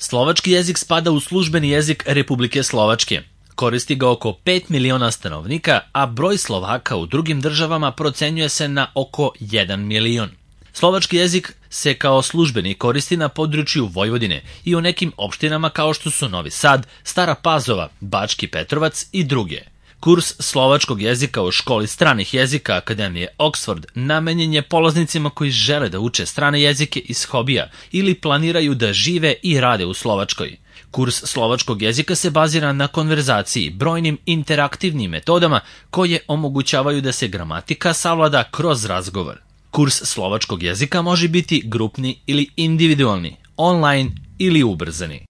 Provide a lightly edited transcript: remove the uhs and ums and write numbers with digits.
Slovački jezik spada u službeni jezik Republike Slovačke. Koristi ga oko 5 miliona stanovnika, a broj Slovaka u drugim državama procenjuje se na oko 1 milion. Slovački jezik se kao službeni koristi na području Vojvodine i u nekim opštinama kao što su Novi Sad, Stara Pazova, Bački Petrovac i druge. Kurs slovačkog jezika u školi stranih jezika Akademije Oxford namenjen je polaznicima koji žele da uče strane jezike iz hobija ili planiraju da žive i rade u Slovačkoj. Kurs slovačkog jezika se bazira na konverzaciji, brojnim interaktivnim metodama koje omogućavaju da se gramatika savlada kroz razgovor. Kurs slovačkog jezika može biti grupni ili individualni, online ili ubrzani.